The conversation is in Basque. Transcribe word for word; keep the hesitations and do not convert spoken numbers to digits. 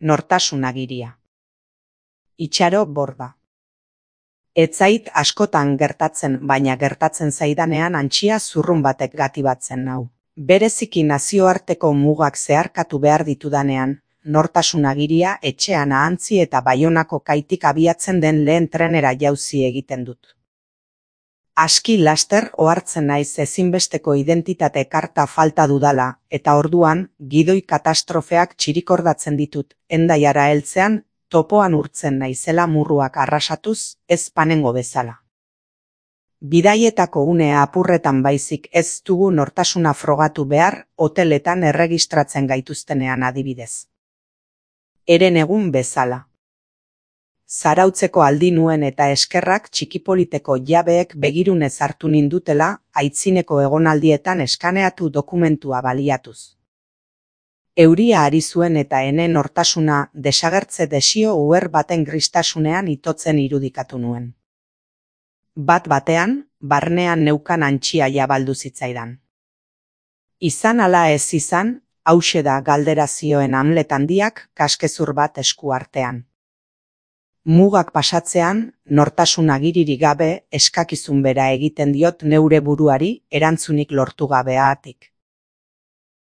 Nortasun agiria. Itxaro Borda. Ez zait askotan gertatzen, baina gertatzen zaidanean antxia zurrun batek gatibatzen nau. Bereziki nazioarteko mugak zeharkatu behar ditudanean, nortasun agiria etxean ahantzi eta Baionako kaitik abiatzen den lehen trenera jauzi egiten dut. Aski laster ohartzen naiz ezinbesteko identitate karta falta dudala, eta orduan gidoi katastrofeak txirikordatzen ditut, Hendaiara heltzean topoan urtzen naizela murruak arrasatuz, ez panengo bezala. Bidaietako une apurretan baizik ez dugu nortasuna frogatu behar hoteletan erregistratzen gaituztenean adibidez. Eren egun bezala. Zarautzeko aldi nuen eta eskerrak txikipoliteko jabeek begirunez hartu nindutela, aitzineko egonaldietan eskaneatu dokumentua baliatuz. Euria ari zuen eta ene nortasuna desagertze desio uher baten gristasunean itotzen irudikatu nuen. Bat batean, barnean neukan antxia jabaldu zitzaidan. Izan ala ez izan, hauxe da galdera zioen Hamlet handiak kaskezur bat esku artean. Mugak pasatzean, nortasun agiririk gabe eskakizun bera egiten diot neure buruari erantzunik lortu gabeatik.